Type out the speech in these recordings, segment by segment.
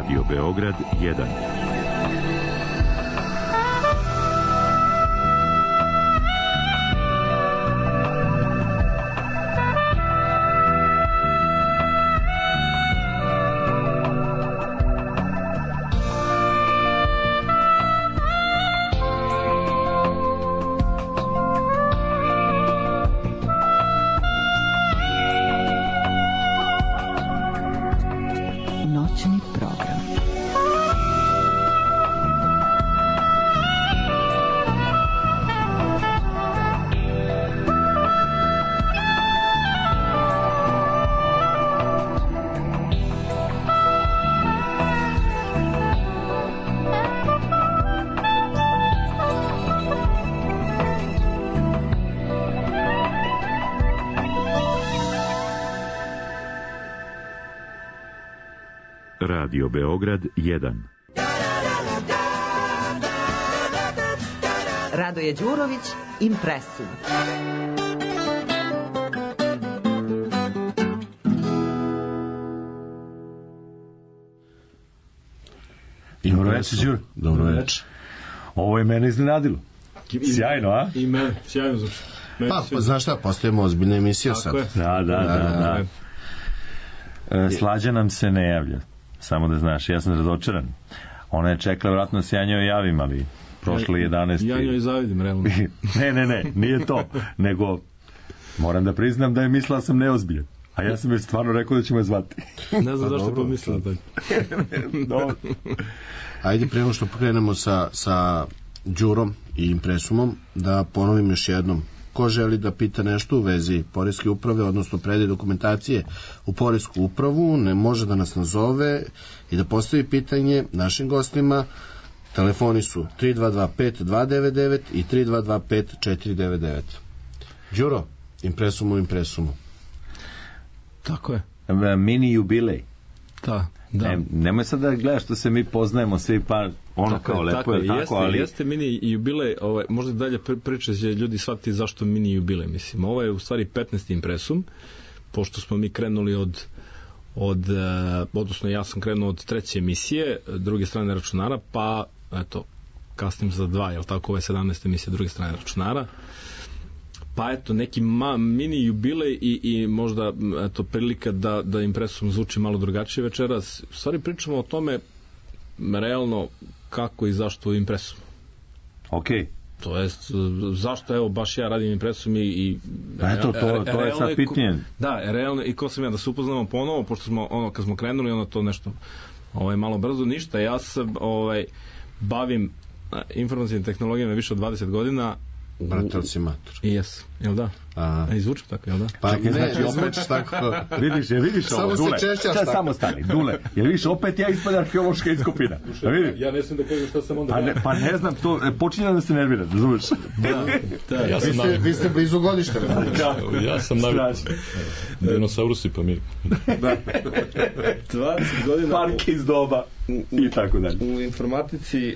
Radio Beograd 1. Radio Beograd 1. Radoje Đurović, Impresum. Dobro večer, Đuro. Dobro večer. Ovo je mene iznenadilo. Sjajno, a? I mene, sjajno zvuči. Pa, znaš šta, postajemo ozbiljna emisija sad. Da. Slađa nam se ne javlja. Samo da znaš, ja sam razočaran. Ona je čekala, vratno se ja njoj javim, ali prošle 11. Ja njoj zavidim, realno. Ne, nije to. Nego, moram da priznam da je mislila sam neozbiljan. A ja sam joj stvarno rekao da ćemo je zvati. Ne znam zašto je pomislila tako. Dobro. Ajde, prema što pokrenemo sa Đurom i Impresumom, da ponovim još jednom. Ko želi da pita nešto u vezi poreske uprave, odnosno predaje dokumentacije u poresku upravu, ne može da nas nazove i da postavi pitanje našim gostima. Telefoni su 3225-299 i 3225-499. Đuro, Impresumu. Tako je. Mini jubilej. Da. Nemoj sad da gledaš što se mi poznajemo svi, pa ono tako kao lepo tako je tako, ali... Jeste mini jubilej, možda dalje priča će ljudi shvatiti zašto mini jubilej, mislim. Ovo je u stvari 15. Impresum, pošto smo mi krenuli odnosno ja sam krenuo od 3. emisije, druge strane računara, pa eto, kasnim za 2, jel tako, ovo je 17. emisija druge strane računara. Pa eto, neki mini jubilej i možda eto, prilika da Impresum zvuči malo drugačije večeras. U stvari pričamo o tome realno kako i zašto Impresum. Ok. To jest, zašto evo baš ja radim Impresum i eto, to je sad pitanje. Da, realno, i ko sam ja, da se upoznamo ponovo, pošto smo, kad smo krenuli, ono to nešto malo brzo, ništa. Ja se bavim informacijnim tehnologijama više od 20 godina. Bratelj si mator. Jes, jel da? I zvučim tako, jel da? Pa čekaj, ne, zvučiš tako. Vidiš ovo, Dule. Samo stani, Dule. Jel vidiš, opet ja ispada arheološka iskopina. Ja ne znam da kažem šta sam onda... Pa ne znam, to počinje da se nervira, razumeš? Da. Vi ste blizu godište. Ja sam navik. Dinosaurusi pa mi. 20 godina... Park iz doba i tako dalje. U informatici...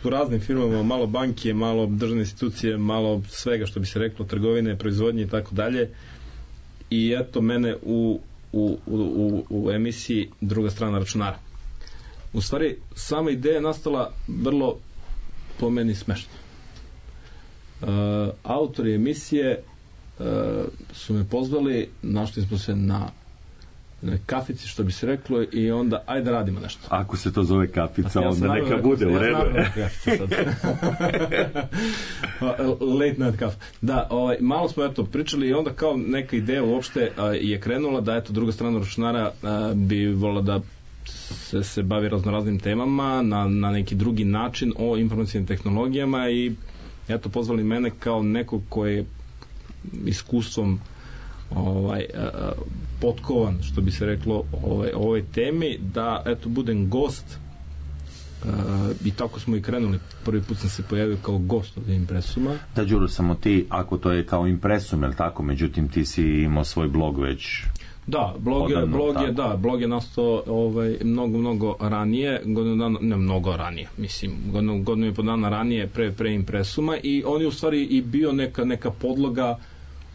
u raznim firmama, malo banke, malo državne institucije, malo svega što bi se reklo, trgovine, proizvodnje i tako dalje. I eto mene u emisiji druga strana računara. U stvari, sama ideja je nastala vrlo po meni smešno. Autori emisije su me pozvali, našli smo se na kafici, što bi se reklo, i onda ajde radimo nešto. Ako se to zove kafica, onda neka bude u redu. Late night kafa. Da, malo smo eto pričali i onda kao neka ideja uopšte je krenula da eto druga strana računara bi volila da se bavi raznoraznim temama na neki drugi način o informacijnim tehnologijama i eto pozvali mene kao nekog koji je iskustvom potkovan, što bi se reklo, ovoj temi, da eto budem gost i tako smo i krenuli. Prvi put sam se pojavio kao gost od Impresuma. Da, Đuro, samo ti, ako to je kao Impresum, je li tako? Međutim, ti si imao svoj blog već... Da, blog je nastao mnogo ranije, godinu i po dana ranije pre Impresuma, i on je u stvari i bio neka podloga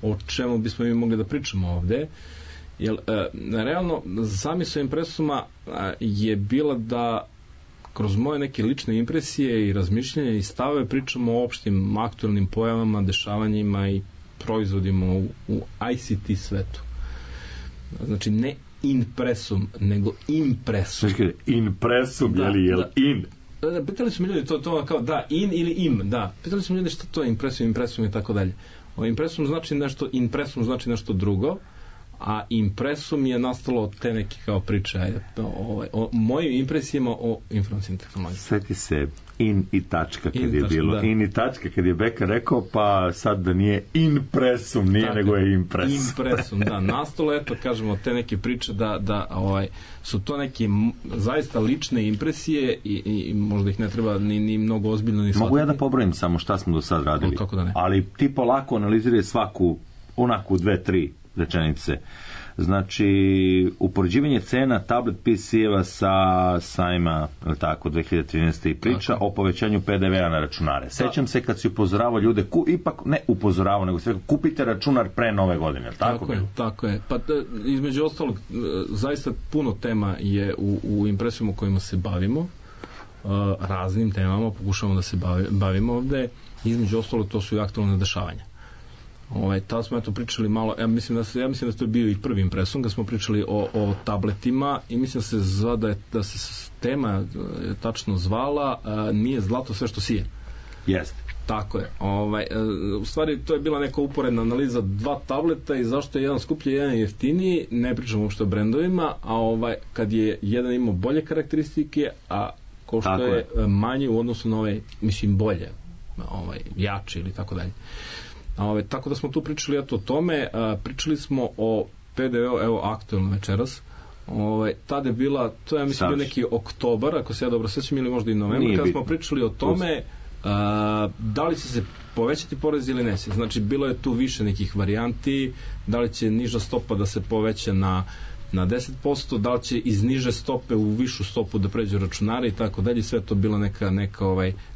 o čemu bismo mi mogli da pričamo ovde. Jer realno zamisao impresuma je bila da kroz moje neke lične impresije i razmišljanja i stave pričamo o opštim aktualnim pojavama, dešavanjima i proizvodima u ICT svetu. Znači ne impresum, nego impresum. Impresum, jel in? Pitali su mi ljudi to kao da, in ili im, da. Pitali su mi ljudi šta to je impresum i tako dalje. Impresum znači nešto drugo, a impresum je nastalo od te neke kao priče o mojim impresijama o informacijnim tehnologijama. Sveti se in i tačka kad je bilo. Da. In i tačka kad je Beka rekao, pa sad da nije impresum, nije tako, nego je impresum, da. Nastalo je to, kažemo, te neke priče da su to neke zaista lične impresije i možda ih ne treba ni mnogo ozbiljno ni shvatiti. Mogu ja da pobrojim samo šta smo do sad radili, kako da ne? Ali ti polako analiziraj svaku onako 2-3 rečenice. Znači, upoređivanje cena tablet PC-eva sa sajma, tako, 2013. i priča o povećanju PDV-a na računare. Sećam se kad si upozoravao ljude, ipak ne upozoravao, nego sve, kupite računar pre nove godine. Tako je. Pa između ostalog, zaista puno tema je u impresijama kojima se bavimo, raznim temama, pokušavamo da se bavimo ovde. Između ostalog, to su i aktualne dešavanja. Tada smo pričali malo, ja mislim da to je bio i prvi impresum, kad smo pričali o tabletima i mislim da se tema tačno zvala nije zlato sve što sije. Jeste. Tako je. U stvari to je bila neka uporedna analiza dva tableta i zašto je jedan skuplji, jedan jeftiniji, ne pričamo uopšte o brendovima, a kad je jedan imao bolje karakteristike, a ko što je manje u odnosu na bolje, jači ili tako dalje. Tako da smo tu pričali o tome, pričali smo o PDV-u, evo aktualno večeras, tada je bila, to je mislim bio neki oktobar, ako se ja dobro sećam, ili možda i novembar, kada smo pričali o tome da li će se povećati porez ili ne se. Znači bilo je tu više nekih varijanti, da li će niža stopa da se poveća na 10%, da li će iz niže stope u višu stopu da pređu računari i tako dalje, sve to bila neka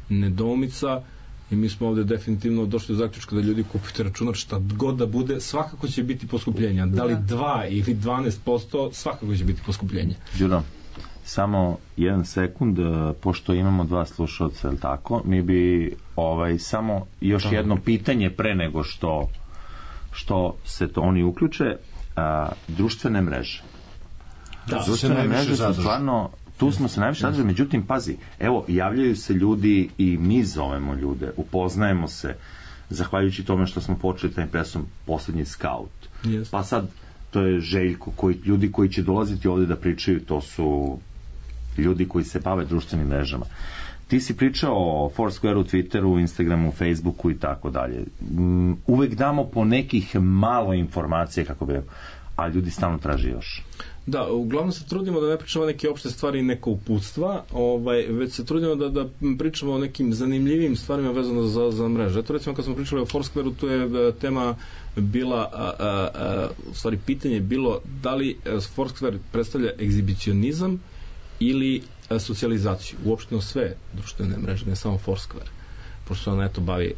nedoumica. I mi smo ovde definitivno došli do zaključka da ljudi kupite računar šta god da bude, svakako će biti poskupljenja. Da li 2 ili 12%, svakako će biti poskupljenja. Đuro, samo jedan sekund, pošto imamo dva slušalca, je li tako? Mi bi samo još jedno pitanje pre nego što se to oni uključe. Društvene mreže. Da, društvene mreže su stvarno... Tu smo se najviše radili, međutim, pazi, evo, javljaju se ljudi i mi zovemo ljude, upoznajemo se, zahvaljujući tome što smo počeli taj impresum, poslednji Scout. Yes. Pa sad, to je Željko, ljudi koji će dolaziti ovde da pričaju, to su ljudi koji se bave društvenim mrežama. Ti si pričao o Foursquareu, Twitteru, Instagramu, Facebooku i tako dalje. Uvek damo po nekih malo informacije, kako bi rekao, a ljudi stalno traže još. Da, uglavnom se trudimo da ne pričamo neke opšte stvari i neka uputstva, već se trudimo da pričamo o nekim zanimljivim stvarima vezano za mreže. Eto recimo kad smo pričali o Foursquareu, tu je tema bila, u stvari pitanje je bilo da li Foursquare predstavlja egzibicionizam ili socijalizaciju, uopšteno sve društvene mreže, ne samo Foursquare, pošto se ona bavi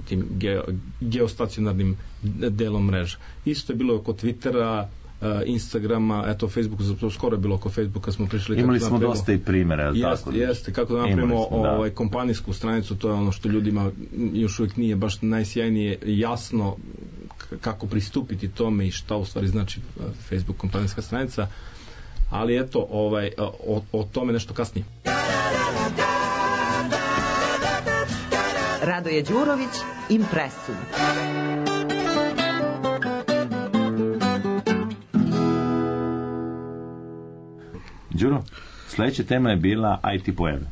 tim geostacionarnim delom mreža. Isto je bilo oko Twittera, Instagrama, Facebooku, skoro je bilo oko Facebooka, smo prišli... Imali smo dosta i primjera, tako? Jeste, kako da napravimo kompanijsku stranicu, to je ono što ljudima još uvijek nije baš najsjajnije jasno kako pristupiti tome i šta u stvari znači Facebook kompanijska stranica, ali eto, o tome nešto kasnije. Radoje Đurović, Impresum. Đuro, sledeća tema je bila IT pojave.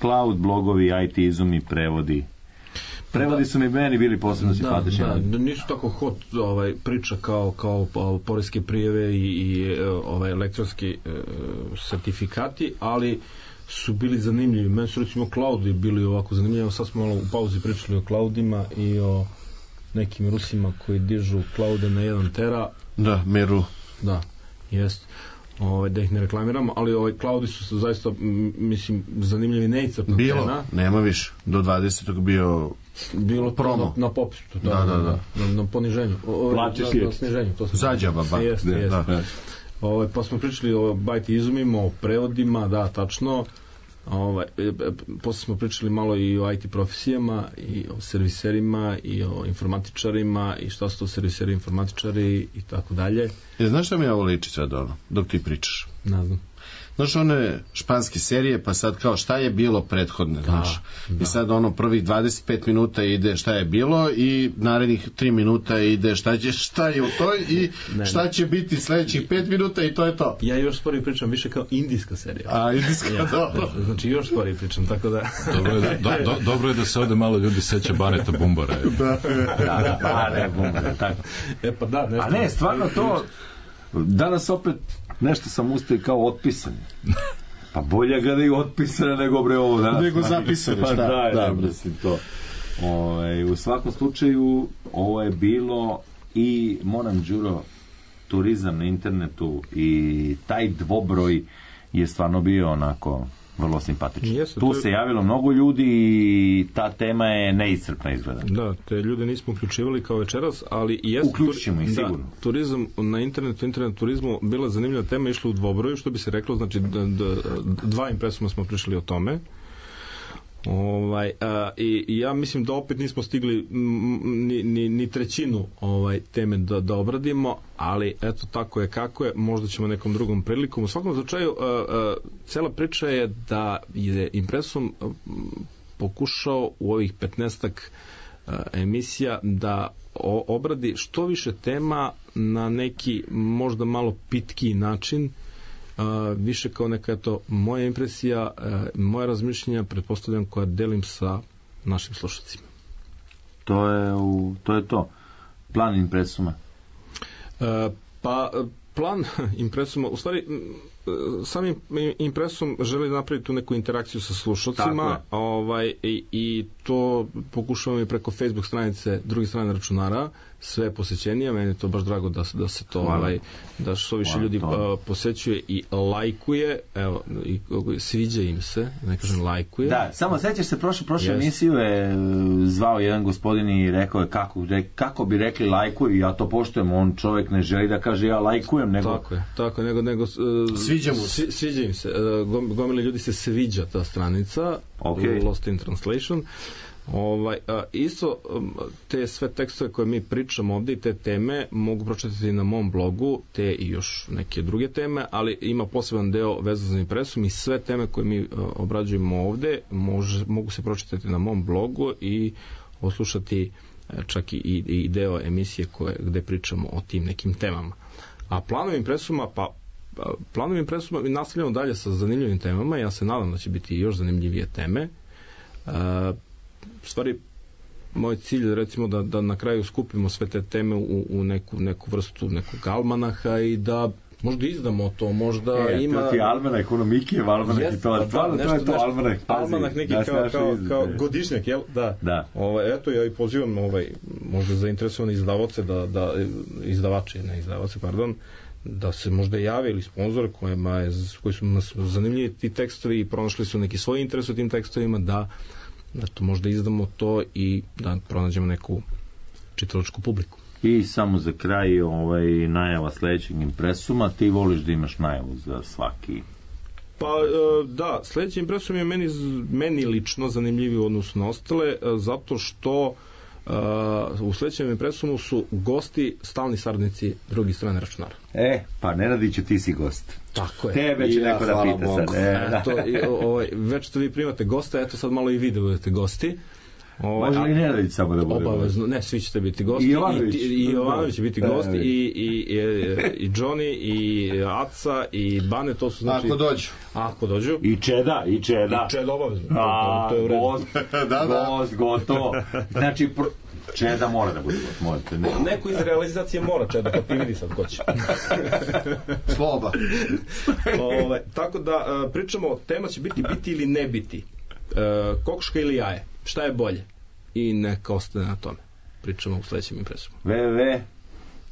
Cloud, blogovi, IT izumi, prevodi. Prevodi su mi meni bili posebno simpatični. Da, nisu tako hot priča kao poreske prijave i elektronski sertifikati, ali su bili zanimljivi. Meni su recimo cloudi bili ovako zanimljivi. Sad smo malo u pauzi pričali o cloudima i o nekim Rusima koji dižu cloude na 1 tera. Da, Meru. Da, jest. da ih ne reklamiramo, ali Klaudi su zaista, mislim, zanimljivi, neiscrpna Bilo, cena. nema više. Do 20. bilo promo na popisu, da. Na poniženju, na sniženju, to smo zađaba, jeste. Pa smo pričali o bajti izumima, o prevodima, da, tačno. Posle smo pričali malo i o IT profesijama, i o serviserima, i o informatičarima, i šta su to serviseri, informatičari i tako dalje. Znaš šta mi ovo liči sad dok ti pričaš? Ne znam. Znaš, one španske serije, pa sad kao šta je bilo prethodne, znaš. I sad prvih 25 minuta ide šta je bilo i narednih 3 minuta ide šta je u toj i šta će biti sledećih 5 minuta i to je to. Ja još sporije pričam više kao indijska serija. A, indijska, dobro. Znači još sporije pričam, tako da... Dobro je da se ovde malo ljudi seća Baneta Bumbara. Da, Bane Bumbara, tako. Pa da, nešto. A ne, stvarno to... Danas opet nešto sam ustao kao otpisan. Pa bolje ga da je otpisano nego ovo danas. Nego zapisano, šta? Da, mislim to. U svakom slučaju ovo je bilo i moram Đuro, turizam na internetu i taj dvobroj je stvarno bio onako vrlo simpatičan. Tu se javilo mnogo ljudi i ta tema je neiscrpna izgleda. Da, te ljude nismo uključivali kao večeras, ali i jeste... Uključit ćemo ih sigurno. Turizam na internetu, internet turizmu bila zanimljiva tema, išla u dvobroju, što bi se reklo, znači dva impresuma smo pričali o tome. I ja mislim da opet nismo stigli ni trećinu teme da obradimo, ali eto, tako je kako je, možda ćemo nekom drugom prilikom. U svakom slučaju cela priča je da je impresum pokušao u ovih 15-ak emisija da obradi što više tema na neki možda malo pitkiji način, više kao neka moja impresija, moja razmišljenja, pretpostavljam, koja delim sa našim slušacima. To je to. Plan impresuma. Plan impresuma, u stvari sam impresum želi napraviti tu neku interakciju sa slušalcima, i to pokušavam i preko Facebook stranice Druge strane računara, sve posećenija, meni je to baš drago da se to da što više ljudi posećuje i lajkuje, evo, i sviđa im se, ne kažem lajkuje. Da, samo sećaš se, prošlu emisiju je zvao jedan gospodin i rekao je kako bi rekli lajkuju, ja to poštujem, on čovjek ne želi da kaže ja lajkujem, nego... Tako, nego sviđa im se, gomili ljudi se sviđa ta stranica, Lost in Translation. Isto te sve tekstove koje mi pričamo ovdje i te teme mogu pročitati na mom blogu, te i još neke druge teme, ali ima poseban deo vezan za impresum i sve teme koje mi obrađujemo ovdje mogu se pročitati na mom blogu i oslušati čak i deo emisije gde pričamo o tim nekim temama. A planovi impresuma mi nastavljamo dalje sa zanimljivim temama. Ja se nadam da će biti još zanimljivije teme. U stvari, moj cilj je recimo da na kraju skupimo sve te teme u neku vrstu nekog almanaha i da možda izdamo to, možda ima... To ti almanak, ekonomikijev almanak i to, stvarno to je to almanak. Almanak neki kao godišnjak, jel? Da. Eto, ja i pozivam možda zainteresovane izdavače, da se možda jave ili sponzor koji su nas zanimljivi ti tekstovi i pronašli su neki svoj interes u tim tekstovima, da to možda izdamo to i da pronađemo neku čitalačku publiku. I samo za kraj najava sledećeg impresuma. Ti voliš da imaš najavu za svaki? Pa da, sledeći impresum je meni lično zanimljiviji u odnosu na ostale, zato što u sledećem impresumu su gosti stalni saradnici Druge strane računara. Pa Nenadiću, ti si gost. Tako je. Tebe će neko da pita sad. Već što vi primate gosta, eto sad malo i vi da budete gosti. Može li Nenadić samo da bude? Obavezno, ne, svi ćete biti gosti. I Jovanović će biti gosti, i Johnny, i Aca, i Bane, to su znači... Ako dođu. I Čeda. I Čeda obavezno. To je u redu. Gotovo. Znači, Čeda mora da bude gost. Neko iz realizacije mora Čeda, pa ti vidi sad ko će. Sloba. Tako da pričamo, tema će biti ili ne biti. Kokoška ili jaje, šta je bolje, i neka ostane na tome. Pričamo u sledećem impresumu.